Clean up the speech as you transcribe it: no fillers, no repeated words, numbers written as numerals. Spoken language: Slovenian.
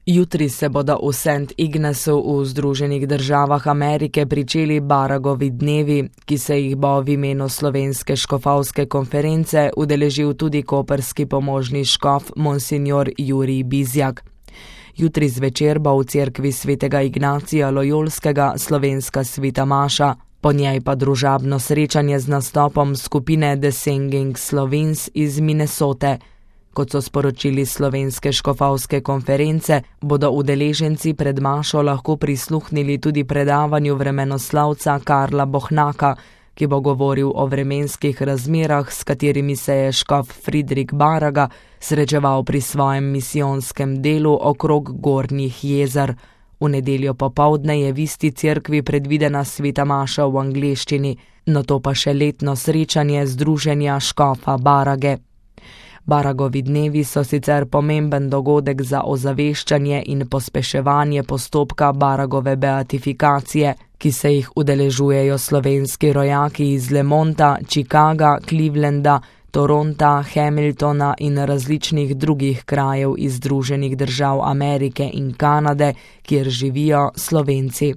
Jutri se bodo v St. Ignacu v Združenih državah Amerike pričeli Baragovi dnevi, ki se jih bo v imenu Slovenske škofovske konference udeležil tudi koprski pomožni škof monsignor Jurij Bizjak. Jutri zvečer bo v cerkvi svetega Ignacija Lojolskega slovenska sveta maša, po njej pa družabno srečanje z nastopom skupine The Singing Slovenes iz Minnesote. Kot so sporočili Slovenske škofovske konference, bodo udeleženci pred mašo lahko prisluhnili tudi predavanju vremenoslavca Karla Bohnaka, ki bo govoril o vremenskih razmerah, s katerimi se je škof Friedrich Baraga srečeval pri svojem misijonskem delu okrog Gornjih jezer. V nedeljo popoldne je v isti cerkvi predvidena sveta maša v angleščini, nato pa še letno srečanje združenja škofa Barage. Baragovi dnevi so sicer pomemben dogodek za ozaveščanje in pospeševanje postopka Baragove beatifikacije, ki se jih udeležujejo slovenski rojaki iz Lemonta, Chicaga, Clevelanda, Toronta, Hamiltona in različnih drugih krajev iz Združenih držav Amerike in Kanade, kjer živijo Slovenci.